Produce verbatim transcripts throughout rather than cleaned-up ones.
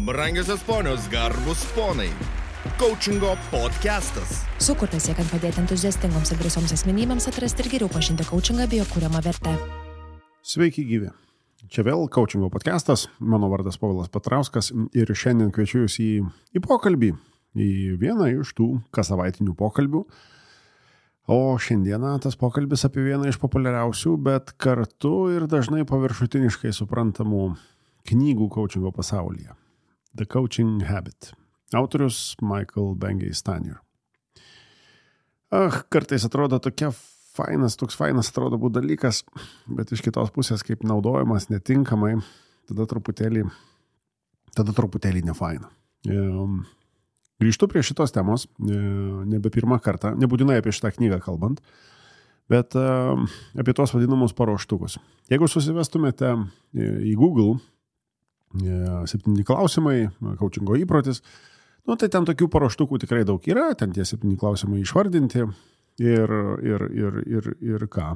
Brangiosios ponios, garbus ponai. Coachingo podcastas. Sukurtas siekiant padėti entuziastingoms ir drąsioms asmenybėms atrasti ir geriau pažinti coachingą bei jo kuriamą vertę. Sveiki gyvi. Čia vėl Coachingo podcastas. Mano vardas Povilas Petrauskas ir šiandien kviečiu jūs į, į pokalbį. Į vieną iš tų kasavaitinių pokalbių. O šiandieną tas pokalbis apie vieną iš populiariausių, bet kartu ir dažnai paviršutiniškai suprantamų knygų coachingo pasaulyje. The Coaching Habit. Autorius Michael Bengay-Stanier. Ach, kartais atrodo tokia fainas, toks fainas atrodo būt dalykas, bet iš kitos pusės, kaip naudojamas netinkamai, tada truputėlį, tada truputėlį nefaina. Grįžtu prie šitos temos, nebe pirmą kartą, nebūtinai apie šitą knygą kalbant, bet apie tos vadinamus paruoštukus. Jeigu susivestumėte į Google septyni klausimai, coachingo įprotis, nu tai ten tokių paruoštukų tikrai daug yra, ten tie septyni klausimai išvardinti ir, ir, ir, ir, ir ką.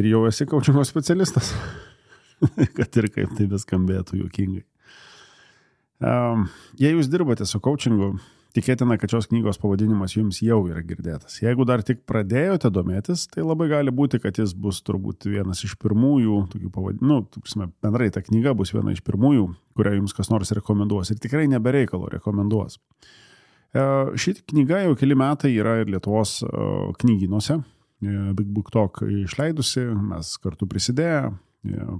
Ir jau esi coachingo specialistas, kad ir kaip tai beskambėtų juokingai. Um, jei jūs dirbate su coachingu, tikėtina, kad šios knygos pavadinimas jums jau yra girdėtas. Jeigu dar tik pradėjote domėtis, tai labai gali būti, kad jis bus turbūt vienas iš pirmųjų, tokių pavadinimų, nu, bendrai ta knyga bus viena iš pirmųjų, kurią jums kas nors rekomenduos ir tikrai nebereikalo rekomenduos. Ši knyga jau keli metai yra ir Lietuvos knygynuose, Big Book Talk išleidusi, mes kartu prisidėję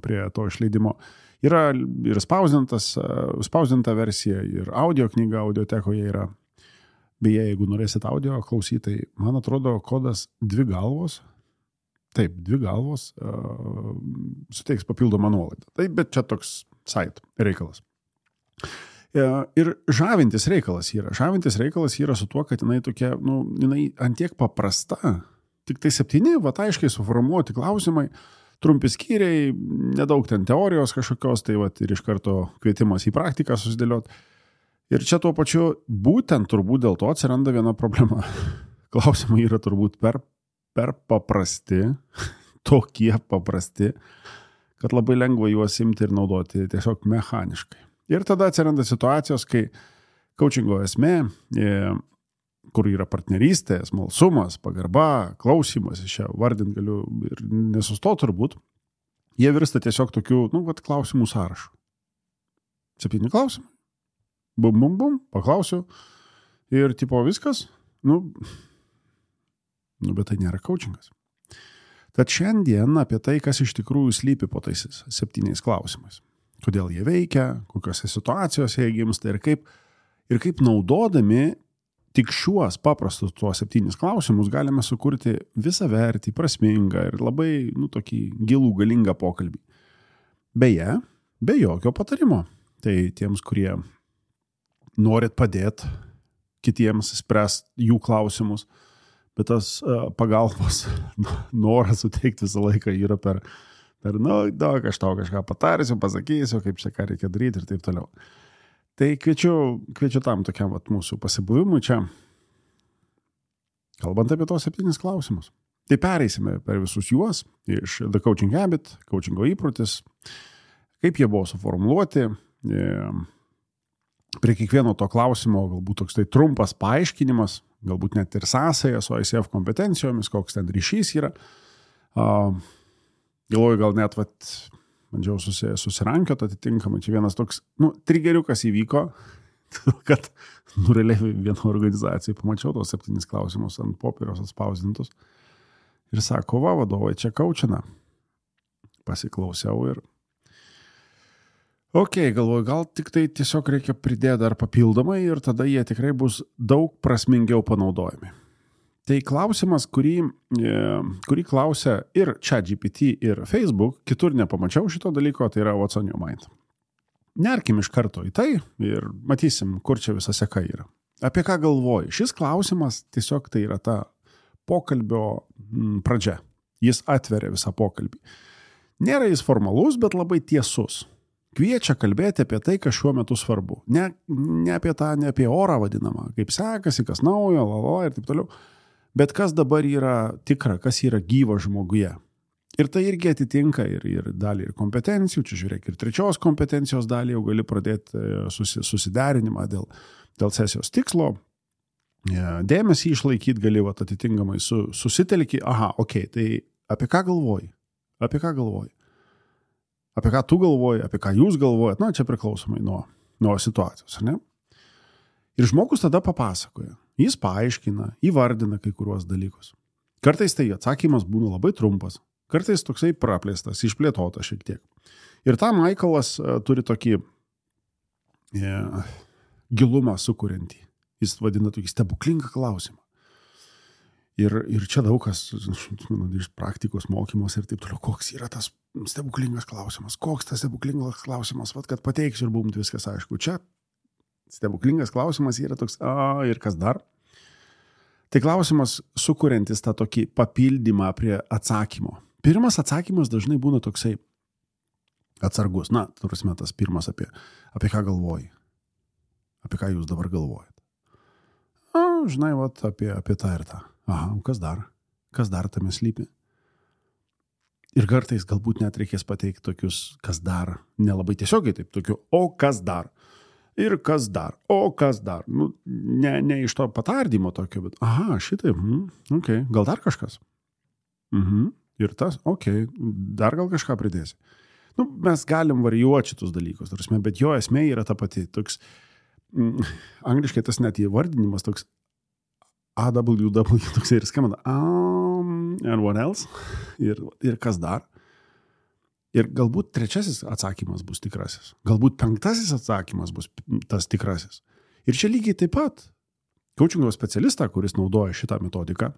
prie to išleidimo. Yra ir spausdintas, spausdinta versija, ir audio knyga audiotekoje yra. Beje, jeigu norėsit audio klausyti, tai man atrodo kodas dvi galvos, taip, dvi galvos, uh, suteiks papildomą nuolaidą. Taip, bet čia toks site reikalas. Uh, ir žavintis reikalas yra. Žavintis reikalas yra su tuo, kad jinai tokia, nu, jinai antiek paprasta, tik tai septyni, va, aiškiai suformuoti klausimai, trumpi skyriai, nedaug ten teorijos kažkokios, tai va, ir iš karto kvietimas į praktiką susidėlioti. Ir čia tuo pačiu būtent turbūt dėl to atsiranda viena problema. Klausimai yra turbūt per, per paprasti, tokie paprasti, kad labai lengva juos imti ir naudoti tiesiog mechaniškai. Ir tada atsiranda situacijos, kai coachingo esmė, kur yra partnerystė, smalsumas, pagarba, klausimas, iš čia vardint galiu ir nesustoti turbūt, jie virsta tiesiog tokių, nu, vat, klausimų sąrašų. Septyni klausimai. Bum, bum, bum, paklausiu. Ir tipo viskas, nu, nu, bet tai nėra coachingas. Tad šiandien apie tai, kas iš tikrųjų slypi po tais septyniais klausimais. Kodėl jie veikia, kokiose situacijose jie gimsta ir kaip, ir kaip naudodami tik šiuos paprastus tuos septynis klausimus galime sukurti visą vertį, prasmingą ir labai, nu, tokį gilų, galingą pokalbį. Beje, be jokio patarimo. Tai tiems, kurie norit padėti kitiems spręsti jų klausimus, bet tas uh, pagalbos noras suteikti visą laiką yra per, per nu, daug aš tau kažką patarsiu, pasakysiu, kaip čia ką reikia daryti ir taip toliau. Tai kviečiu, kviečiu tam tokiam vat, mūsų pasibuvimui čia, kalbant apie tos septynis klausimus. Tai pereisime per visus juos iš The Coaching Habit, coachingo įprotis, kaip jie buvo suformuluoti. Prie kiekvieno to klausimo galbūt toks tai trumpas paaiškinimas, galbūt net ir sąsaja su I C F kompetencijomis, koks ten ryšys yra. Galvoju, gal net vat, bandžiau susi, susirankiot atitinkamai. Čia vienas toks, nu, trigeriukas įvyko, kad, nu, realiai vieno organizacijai pamačiau tos septynis klausimus ant popieriaus atspausdintus ir sako, va, vadovai čia coachina. Pasiklausiau ir ok, galvoju, gal tik tai tiesiog reikia pridėti dar papildomai ir tada jie tikrai bus daug prasmingiau panaudojami. Tai klausimas, kurį, kurį klausia ir ChatGPT, ir Facebook, kitur nepamačiau šito dalyko, tai yra What's on your mind. Nerkim iš karto į tai ir matysim, kur čia visa seka yra. Apie ką galvoji? Šis klausimas tiesiog tai yra ta pokalbio pradžia. Jis atveria visą pokalbį. Nėra jis formalus, bet labai tiesus. Kviečia kalbėti apie tai, kas šiuo metu svarbu. Ne, ne apie tą, ne apie orą vadinamą, kaip sekasi, kas naujo, lala ir taip toliau. Bet kas dabar yra tikra, kas yra gyva žmoguje. Ir tai irgi atitinka ir, ir dalį ir kompetencijų, čia žiūrėk, ir trečios kompetencijos dalį jau gali pradėti susi, susiderinimą dėl, dėl sesijos tikslo, dėmesį išlaikyti gali, vat, atitinkamai su, susitelki, aha, okei, okay, tai apie ką galvoji, apie ką galvoji, apie ką tu galvoji, apie ką jūs galvojat, na, čia priklausomai nuo, nuo situacijos, ne? Ir žmogus tada papasakoja, jis paaiškina, įvardina kai kuriuos dalykus. Kartais tai atsakymas būna labai trumpas, kartais toksai praplėstas, išplėtotas šiek tiek. Ir tą Michaelas uh, turi tokį yeah, gilumą sukuriantį. Jis vadina tokį stebuklingą klausimą. Ir, ir čia daug kas, manau, iš praktikos mokymos ir taip toliau, koks yra tas stebuklingas klausimas, koks tas stebuklingas klausimas, vat, kad pateiksiu ir bumt viskas aišku. Čia stebuklingas klausimas yra toks, a, ir kas dar? Tai klausimas sukuriantis tą tokį papildymą prie atsakymo. Pirmas atsakymas dažnai būna toksai atsargus. Na, turime tas pirmas apie, apie ką galvoji. Apie ką jūs dabar galvojat. A, žinai, vat, apie, apie tą ir tą. Aha, kas dar? Kas dar tame slypi? Ir kartais galbūt net reikės pateikti tokius, kas dar, nelabai tiesiogiai taip, tokiu, o kas dar? Ir kas dar, o kas dar. Nu, ne, ne iš to patardymo tokio, bet aha, šitai, mm, okei, okay. Gal dar kažkas? Mhm. Ir tas, okei, okay. Dar gal kažką pridėsi. Nu, mes galim varijuoti šitus dalykus, tarsi, bet jo esmė yra ta pati. Toks, mm, angliškai tas net įvardinimas toks A W W, toks ir skamba, um, and what else? Ir, ir kas dar? Ir galbūt trečiasis atsakymas bus tikrasis. Galbūt penktasis atsakymas bus tas tikrasis. Ir čia lygiai taip pat coachingo specialistą, kuris naudoja šitą metodiką,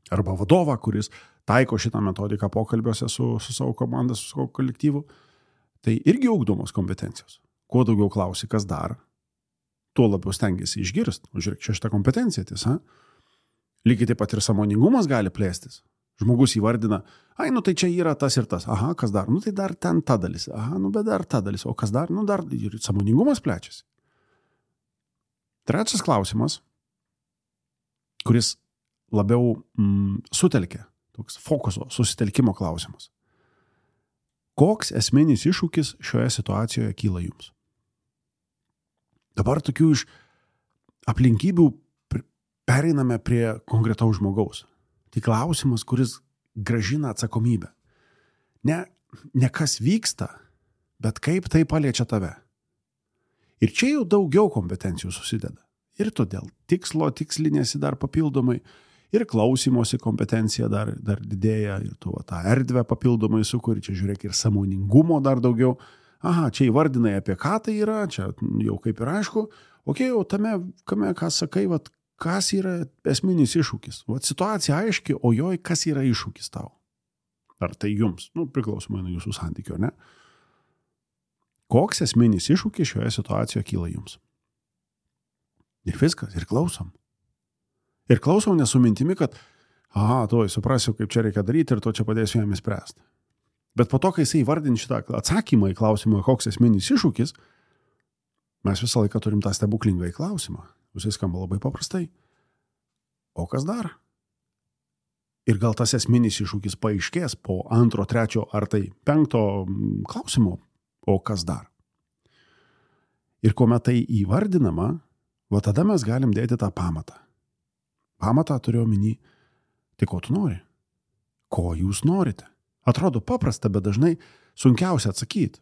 arba vadovą, kuris taiko šitą metodiką pokalbiuose su, su savo komanda, su savo kolektyvu, tai irgi ugdomos kompetencijos. Kuo daugiau klausi, kas dar, tuo labiau stengiasi išgirsti. Žiūrėk, čia šitą kompetenciją, tiesa. Lygiai taip pat ir sąmoningumas gali plėstis. Žmogus įvardina, ai, nu tai čia yra tas ir tas, aha, kas dar, nu tai dar ten ta dalis, aha, nu bet dar ta dalis, o kas dar, nu dar ir sąmoningumas plečiasi. Trečias klausimas, kuris labiau mm, sutelkia, toks fokuso, susitelkimo klausimas. Koks esminis iššūkis šioje situacijoje kyla jums? Dabar tokių iš aplinkybių pereiname prie konkretaus žmogaus. Tai klausimas, kuris gražina atsakomybę. Ne, ne kas vyksta, bet kaip tai paliečia tave. Ir čia jau daugiau kompetencijų susideda. Ir todėl tikslo tikslinėsi dar papildomai, ir klausymosi kompetencija dar, dar didėja, ir tu va, tą erdvę papildomai sukuri, čia žiūrėk ir sąmoningumo dar daugiau. Aha, čia įvardinai apie ką tai yra, čia jau kaip ir aišku. Okei, o tame, kame, ką sakai, vat, kas yra esminis iššūkis? Vat situacija aiški, o joj kas yra iššūkis tau? Ar tai jums? Nu, priklausomai nuo jūsų santykio, ne? Koks esminis iššūkis šioje situacijoje kyla jums? Ir viskas, ir klausom. Ir klausom nesu mintimi, kad aha, tuoj suprasiu, kaip čia reikia daryti ir to čia padėsiu jam įspręsti. Bet po to, kai jisai įvardin šitą atsakymą į klausimą, koks esminis iššūkis, mes visą laiką turim tą stebuklingą į klausimą. Jisai skamba labai paprastai. O kas dar? Ir gal tas esminis iššūkis paaiškės po antro, trečio ar tai penkto klausimo. O kas dar? Ir kuomet tai įvardinama, va tada mes galim dėti tą pamatą. Pamatą turiu omeny, tai ko tu nori? Ko jūs norite? Atrodo paprasta, bet dažnai sunkiausia atsakyti.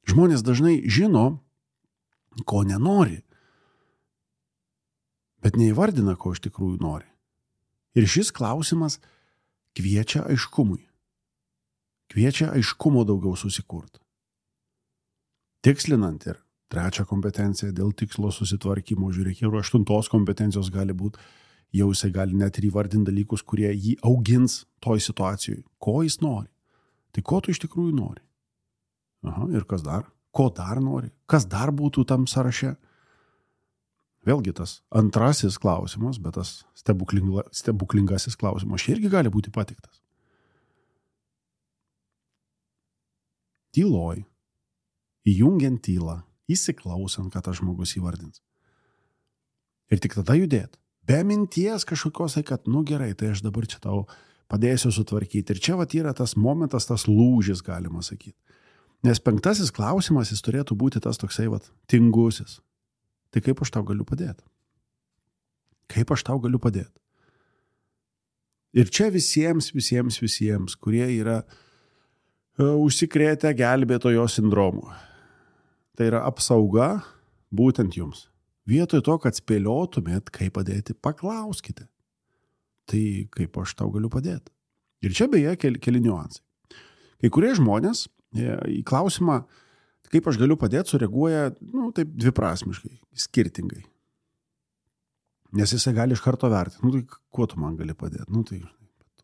Žmonės dažnai žino, ko nenori, bet neįvardina, ko iš tikrųjų nori. Ir šis klausimas kviečia aiškumui. Kviečia aiškumo daugiau susikurti. Tikslinant ir trečią kompetenciją dėl tikslo susitvarkymo, žiūrėk, ir aštuntos kompetencijos gali būti, jau jisai gali net ir įvardinti dalykus, kurie jį augins toj situacijoje. Ko jis nori? Tai ko tu iš tikrųjų nori? Aha, ir kas dar? Ko dar nori? Kas dar būtų tam sąraše? Vėlgi tas antrasis klausimas, bet tas stebuklinga, stebuklingasis klausimas čia irgi gali būti patiktas. Tyloj, įjungiant tylą, įsiklausant, kad tas žmogus įvardins. Ir tik tada judėt. Be minties kažkokios, kad, nu gerai, tai aš dabar čia tau padėsiu sutvarkyti. Ir čia vat yra tas momentas, tas lūžis, galima sakyti. Nes penktasis klausimas, jis turėtų būti tas toksai vat tingusis. Tai kaip aš tau galiu padėti? Kaip aš tau galiu padėti? Ir čia visiems, visiems, visiems, kurie yra uh, užsikrėtę gelbėtojo sindromu. Tai yra apsauga būtent jums. Vietoj to, kad spėliotumėt, kaip padėti, paklauskite. Tai kaip aš tau galiu padėti? Ir čia beje keli, keli niuansai. Kai kurie žmonės į klausimą, kaip aš galiu padėti, sureaguoja, nu, taip dviprasmiškai, skirtingai. Nes jisai gali iš karto vertinti, nu, tai kuo tu man gali padėti? Nu, tai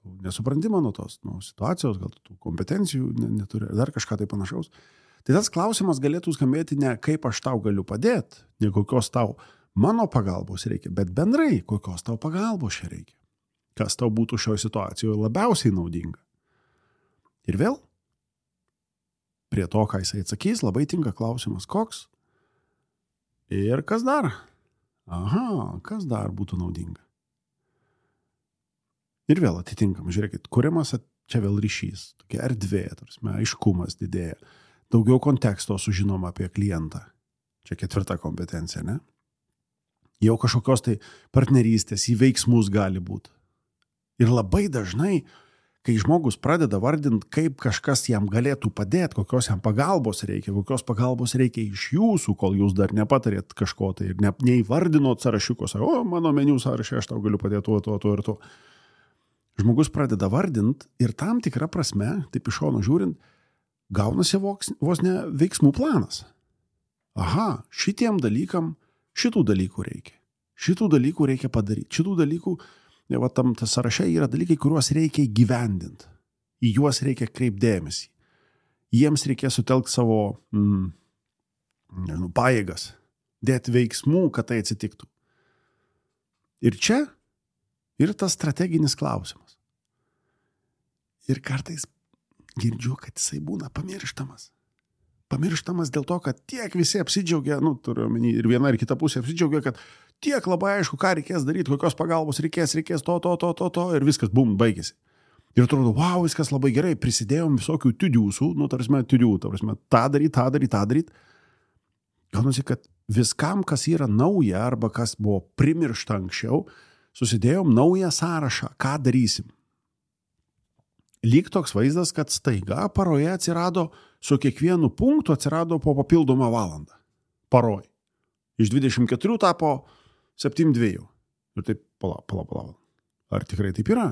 tu nesupranti mano tos nu, situacijos, gal tu kompetencijų neturi, dar kažką tai panašaus. Tai tas klausimas galėtų skambėti ne kaip aš tau galiu padėti, ne kokios tau mano pagalbos reikia, bet bendrai kokios tau pagalbos čia reikia. Kas tau būtų šioje situacijoje labiausiai naudinga. Ir vėl, prie to, ką jisai atsakys, labai tinka klausimas, koks ir kas dar. Aha, kas dar būtų naudinga. Ir vėl atitinkam, žiūrėkit, kuriamas čia vėl ryšys, tokia erdvė, tarsi, aiškumas didėja. Daugiau konteksto sužinoma apie klientą. Čia ketvirta kompetencija, ne? Jau kažkokios tai partnerystės, į veiksmus gali būti. Ir labai dažnai, kai žmogus pradeda vardinti, kaip kažkas jam galėtų padėti, kokios jam pagalbos reikia, kokios pagalbos reikia iš jūsų, kol jūs dar nepatarėt kažko tai ir ne, neįvardinot sąrašiukos, o mano meniu sąrašė, aš tau galiu padėti tuo, tuo, tuo ir tuo. Žmogus pradeda vardinti ir tam tikrą prasme, taip iš šono žiūrint, gaunasi vos, vos ne veiksmų planas. Aha, šitiem dalykam šitų dalykų reikia. Šitų dalykų reikia padaryti. Šitų dalykų, ne, va, tam tas sąraše yra dalykai, kuriuos reikia įgyvendinti. Į juos reikia kreipdėmėsi. Jiems reikia sutelkti savo mm, nežinau, pajėgas, dėti veiksmų, kad tai atsitiktų. Ir čia ir tas strateginis klausimas. Ir kartais girdžiu, kad jisai būna pamirštamas. Pamirštamas dėl to, kad tiek visi apsidžiaugia, nu, turiu omeny, ir viena ir kita pusė apsidžiaugia, kad tiek labai aišku, ką reikės daryti, kokios pagalbos reikės, reikės to, to, to, to, to, ir viskas, bum, baigėsi. Ir atrodo, wow, viskas labai gerai, prisidėjom visokių tiudiusų, nu, tarsi, tiudių, tarsi, tą daryt, tą daryt, tą daryt. Gaunasi, kad viskam, kas yra nauja, arba kas buvo primiršta anksčiau, susidėjom naują sąrašą, ką darysim. Lyg toks vaizdas, kad staiga paroje atsirado, su kiekvienu punktu atsirado po papildomą valandą. Paroj. Iš dvidešimt keturių tapo septyniasdešimt dvi. Ir taip, pala, pala, pala. Ar tikrai taip yra?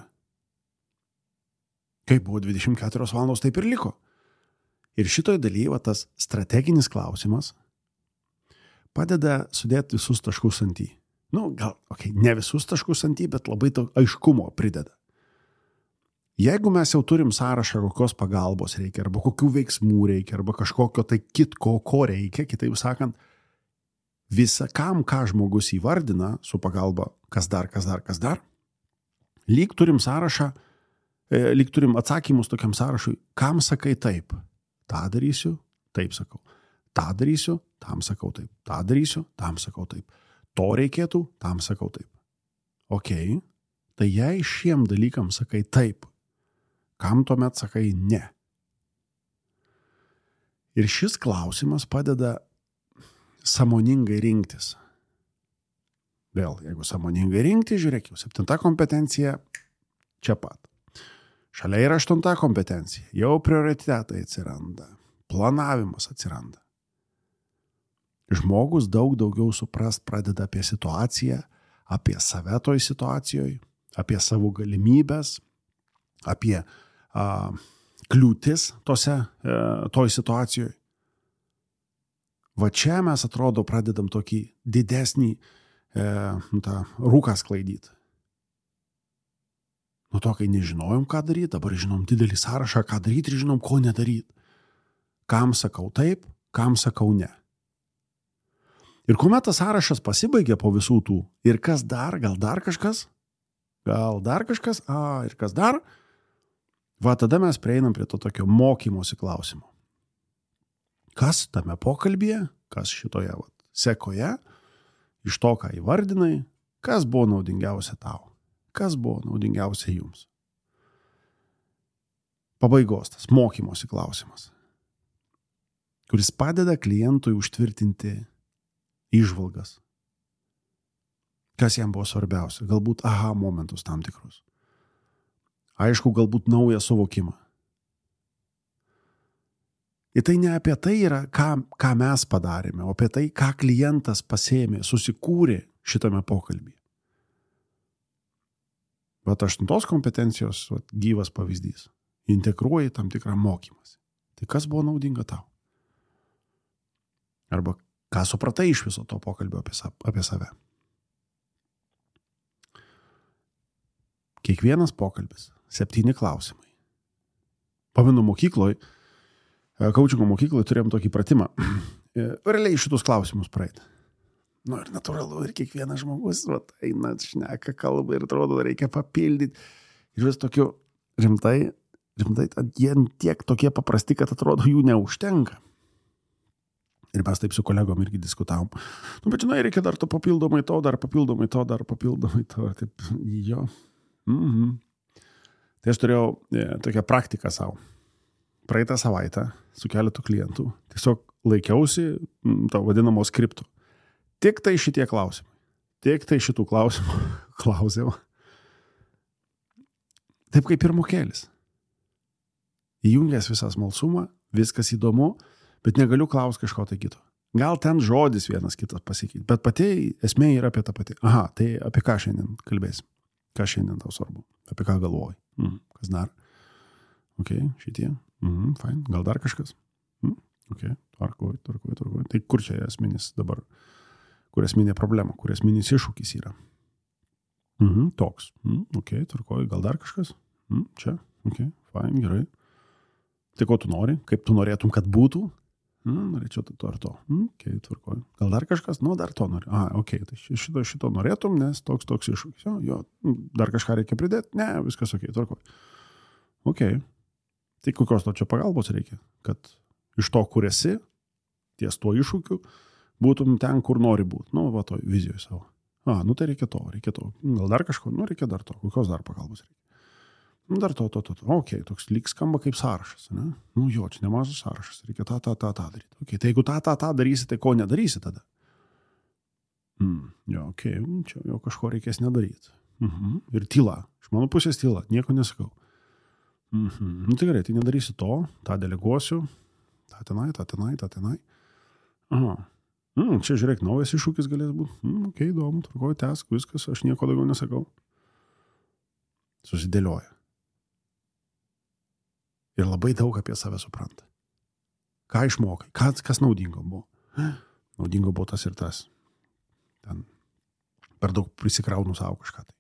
Kaip buvo dvidešimt keturios valandos, taip ir liko. Ir šitoj dalyje va, tas strateginis klausimas padeda sudėti visus taškus ant į. Nu, gal, okay, ne visus taškus ant į, bet labai to aiškumo prideda. Jeigu mes jau turim sąrašą, kokios pagalbos reikia, arba kokių veiksmų reikia, arba kažkokio tai kitko, ko reikia, kitaip sakant, visa kam, ką žmogus įvardina su pagalba, kas dar, kas dar, kas dar, lyg turim sąrašą, lyg turim atsakymus tokiam sąrašui, kam sakai taip, tą darysiu, taip sakau, tą darysiu, tam sakau taip, tą darysiu, tam sakau taip, to reikėtų, tam sakau taip. Ok, tai jei šiem dalykam sakai taip, kam tuomet sakai ne? Ir šis klausimas padeda sąmoningai rinktis. Vėl, jeigu sąmoningai rinkti, žiūrėk, jau septinta kompetencija čia pat. Šalia yra aštunta kompetencija. Jau prioritetai atsiranda. Planavimas atsiranda. Žmogus daug daugiau suprast pradeda apie situaciją, apie save toj situacijoje, apie savo galimybės, apie a, kliūtis tose, e, toj situacijoje. Va čia mes atrodo pradedam tokį didesnį e, tą rūką sklaidyti. Nuo to, kai nežinojom, ką daryti, dabar žinom didelį sąrašą, ką daryti ir žinom, ko nedaryti. Kam sakau taip, kam sakau ne. Ir kuomet tas sąrašas pasibaigia po visų tų, ir kas dar, gal dar kažkas, gal dar kažkas, a, ir kas dar, va tada mes prieinam prie to tokio mokymosi klausimo. Kas tame pokalbyje, kas šitoje va, sekoje, iš to, ką įvardinai, kas buvo naudingiausia tau, kas buvo naudingiausia jums. pabaigos, tas mokymosi klausimas, kuris padeda klientui užtvirtinti įžvalgas. Kas jam buvo svarbiausia? Galbūt aha momentus tam tikrus. Aišku, galbūt naują suvokimą. Ir tai ne apie tai yra, ką, ką mes padarėme, o apie tai, ką klientas pasėmė, susikūrė šitame pokalbyje. Bet aštuntos kompetencijos vat, gyvas pavyzdys. Integruoji tam tikrą mokymąsi. Tai kas buvo naudinga tau? Arba ką supratai iš viso to pokalbio apie, apie save? Kiekvienas pokalbis, septyni klausimai. Pamenu mokykloje, kaučingo mokykloje turėjom tokį pratimą. Realiai šitus klausimus praeiti. Nu ir natūralu, ir kiekvienas žmogus vat, eina, šneka, kalba ir atrodo, reikia papildyti. Ir vis tokiu rimtai, rimtai, jie tiek tokie paprasti, kad atrodo, jų neužtenka. Ir mes taip su kolegom irgi diskutavom. Nu, bet žinai, reikia dar to papildomai to, dar papildomai to, dar papildomai to. Taip, jo. Mhm. Tai aš turėjau e, tokią praktiką savo. Praeitą savaitę su keletu klientų tiesiog laikiausi m, to vadinamo skripto. Tik tai šitie klausimai. Tik tai šitų klausimų klausimų. Taip kaip ir mokėlis. Įjungęs visą smalsumą, viskas įdomu, bet negaliu klausti kažko tai kito. Gal ten žodis vienas kitas pasikeitė, bet pati esmė yra apie tą patį. Aha, tai apie ką šiandien kalbėsim? Ką šiandien tau svarbu? Apie ką galvoji? Mm, kas dar? Ok, šitie. Mm, fine. Gal dar kažkas? Mm, ok, tvarkoj, tvarkoj, tvarkoj. Tai kur čia esminis dabar? Kur esminė problema? Kur esminis iššūkis yra? Mm, toks. Mm, ok, tvarkoj. Gal dar kažkas? Mm, čia. Ok, fine, gerai. Tai ko tu nori? Kaip tu norėtum, kad būtų? Mm, norėčiau to ar to. Mm, ok, tvarkoj. Gal dar kažkas? Nu, dar to nori. Ah, ok, tai šito, šito norėtum, nes toks, toks iššūkis. Jo, jo, dar kažką reikia pridėti? Ne, viskas ok, tvarkoj. Ok. Tai kokios to čia pagalbos reikia? Kad iš to, kur esi, ties tuo iššūkiu, būtum ten, kur nori būti. Nu, va, to vizijoje savo. Ah, nu tai reikia to, reikia to. Gal dar kažko? Nu, reikia dar to. Kokios dar pagalbos reikia? Nu, dar to, to, to, to. Ok, toks lyg skamba kaip sąrašas, ne? Nu, jo, čia nemažas sąrašas. Reikia tą, tą, tą, tą daryti. Ok, tai jeigu tą, tą, tą darysi, tai ko nedarysi tada? Mm, jo, ok, čia jau kažko reikės nedaryti. Mhm. Ir tyla. Iš mano pusės tyla. Nieko nesakau. Mhm. Nu, tai gerai, tai nedarysi to, tą deleguosiu. tą tenai, tą tenai, tą tenai. Aha. Mm, čia žiūrėk, naujas iššūkis galės būti. Mm, ok, įdomu, tvarkoju, tęsk, viskas, aš nieko daugiau nesakau. Susidėlioja. Ir labai daug apie save supranta. Ką išmokai, kas, kas naudingo buvo. Naudingo buvo tas ir tas. Ten per daug prisikraunu savo kažką. Tai.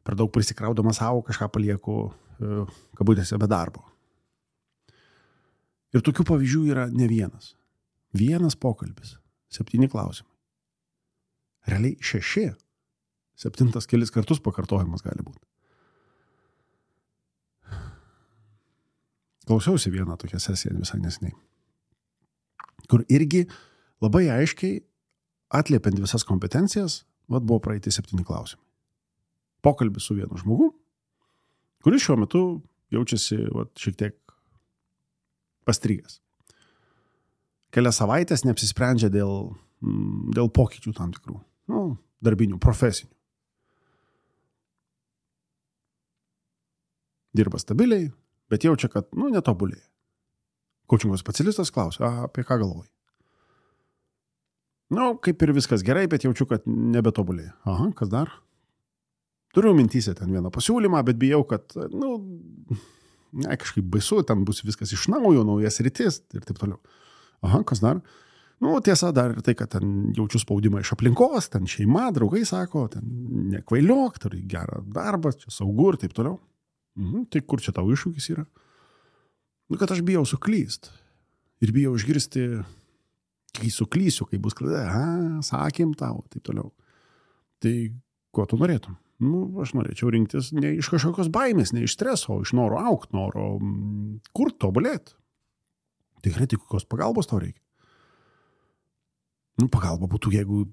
Per daug prisikraudama savo kažką palieku e, kabutėse be darbo. Ir tokių pavyzdžių yra ne vienas. Vienas pokalbis. Septyni klausimai. Realiai šeši. Septintas kelis kartus pakartojimas gali būti. Klausiausi vieną tokią sesiją visai neseniai, kur irgi labai aiškiai atliepiant visas kompetencijas, vat buvo praeiti septyni klausimai. Pokalbis su vienu žmogu, kuris šiuo metu jaučiasi vat, šiek tiek pastrigęs. Kelias savaitės neapsisprendžia dėl, dėl pokyčių tam tikrų, nu, darbinių, profesinių. Dirba stabiliai, bet jaučia, kad, nu, netobulėja. Kaučingo specialistas klausia, apie ką galvoji? Nu, kaip ir viskas gerai, bet jaučiu, kad nebetobulėja. Aha, kas dar? Turiu mintyse ten vieną pasiūlymą, bet bijau, kad, nu, ne, kažkaip baisu, ten bus viskas iš naujo, naujas rytis ir taip toliau. Aha, kas dar? Nu, tiesa, dar ir tai, kad ten jaučiu spaudimą iš aplinkos, ten šeima, draugai sako, ten nekvailiok, turi gerą darbą, čia saugu ir taip toliau. Mhm, tai kur čia tau iššūkis yra? Nu, kad aš bijau suklyst. Ir bijau išgirsti, kai suklysiu, kai bus klaida, a, sakėm tau, taip toliau. Tai ko tu norėtum? Nu, aš norėčiau rinktis ne iš kažkokios baimės, ne iš streso, o iš noro aukt, noro mm, kur tobulėti. Tikrai, tai kokios pagalbos tau reikia? Nu, pagalba būtų, jeigu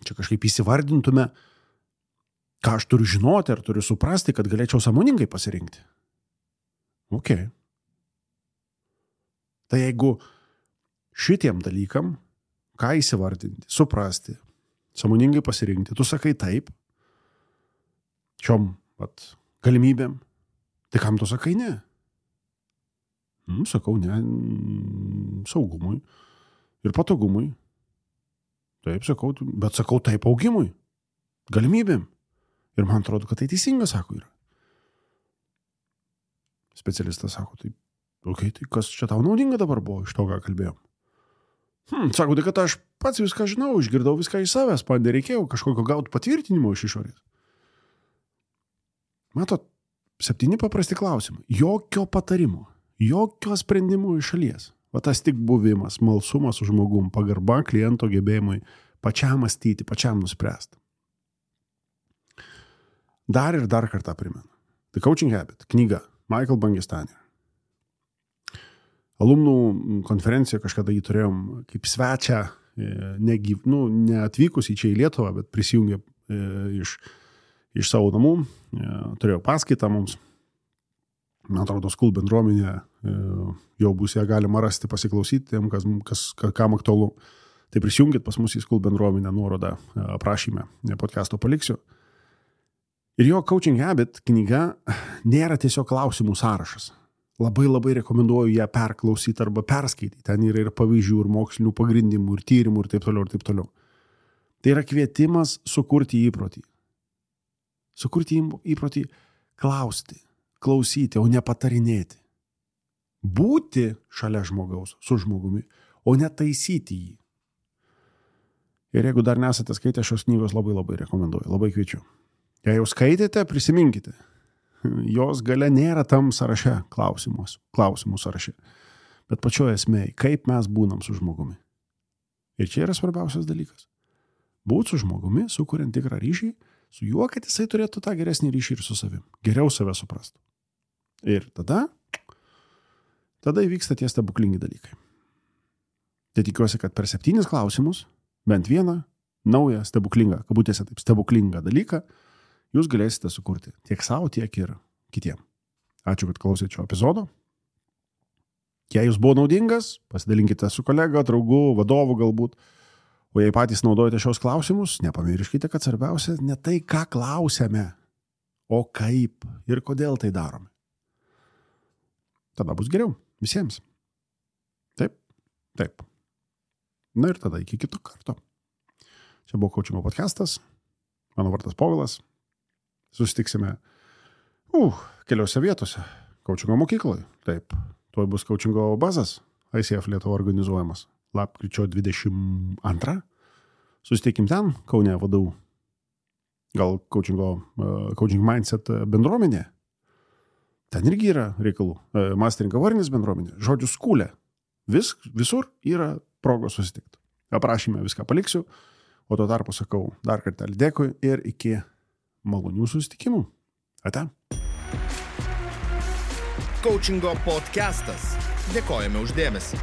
čia kažkaip įsivardintume, ką aš turiu žinoti ar turiu suprasti, kad galėčiau sąmoningai pasirinkti. Ok. Tai jeigu šitiem dalykam, ką įsivardinti, suprasti, sąmoningai pasirinkti, tu sakai taip, šiom vat, galimybėm, tai kam tu sakai ne? Nu, sakau ne saugumui ir patogumui. Taip, sakau, bet sakau taip augimui, galimybėm. Ir man atrodo, kad tai teisinga, sako, yra. Specialistas sako, tai, okay, tai kas čia tau naudinga dabar buvo iš to, ką kalbėjom? Hmm, sako, tai kad aš pats viską žinau, išgirdau viską iš savęs, man nereikėjo kažkokio gauti patvirtinimo iš išorės. Matot, septyni paprasti klausimai. Jokio patarimo, jokio sprendimo iš šalies. Va tas tik buvimas, malsumas su žmogum, pagarba kliento gebėjimui pačiam mąstyti, pačiam nuspręsti. Dar ir dar kartą primenu. The Coaching Habit, knyga, Michael Bangestanier. Alumnų konferenciją kažkada jį turėjom kaip svečią, negyv, nu, neatvykus į čia į Lietuvą, bet prisijungė iš, iš savo namų, turėjo paskaitą mums. Man atrodo, School bendruomenė jau bus ją galima rasti, pasiklausyti tiem, kas, kas, kam aktualu. Tai prisijungit pas mus į School bendruomenę, nuorodą aprašyme, podcast'o paliksiu. Ir jo Coaching Habit knyga nėra tiesiog klausimų sąrašas. Labai labai rekomenduoju ją perklausyti arba perskaityti. Ten yra ir pavyzdžių, ir mokslinių pagrindimų, ir tyrimų, ir taip toliau, ir taip toliau. Tai yra kvietimas sukurti įprotį. Sukurti įprotį klausti. Klausyti, o ne patarinėti. Būti šalia žmogaus, su žmogumi, o ne taisyti jį. Ir jeigu dar nesate skaitę šios knygos, labai labai rekomenduoju, labai kviečiu. Jei jau skaitėte, prisiminkite. Jos gale nėra tam sąraše klausimus, klausimų sąraše. Bet pačioje esmėje, kaip mes būnam su žmogumi. Ir čia yra svarbiausias dalykas. Būt su žmogumi, sukuriant tikrą ryšį, su juo, kad jisai turėtų tą geresnį ryšį ir su savim. Geriau save suprastų. Ir tada, tada įvyksta tie stebuklingi dalykai. Tai tikiuosi, kad per septynis klausimus, bent vieną naują stebuklingą, kabutėse taip, stebuklingą dalyką, jūs galėsite sukurti tiek savo, tiek ir kitiem. Ačiū, kad klausėte šio epizodo. Jei jūs buvo naudingas, pasidalinkite su kolega, draugu, vadovu galbūt. O jei patys naudojate šios klausimus, nepamirškite, kad svarbiausia ne tai, ką klausiame, o kaip ir kodėl tai darome. Tada bus geriau visiems. Taip, taip. Na ir tada iki kito karto. Čia buvo Coachingo podcastas. Mano vardas Povilas. Susitiksime uh, keliose vietose. Coachingo mokykloje. Taip. Tuoj bus Coachingo bazas. I C F Lietuva organizuojamas. Lapkričio dvidešimt antrą. Susitikim ten, Kaune vadovų. Gal Coachingo, uh, Coaching Mindset bendruomenė. Ten irgi yra reikalų. Uh, Mastering Awareness bendruomenė. Žodžiu, skūlė. Vis, visur yra progos susitikti. Aprašyme viską paliksiu. O tuo tarpu sakau dar kartelį dėkui ir iki malonių susitikimų. Ate. Coachingo podcastas. Dėkojame už dėmesį.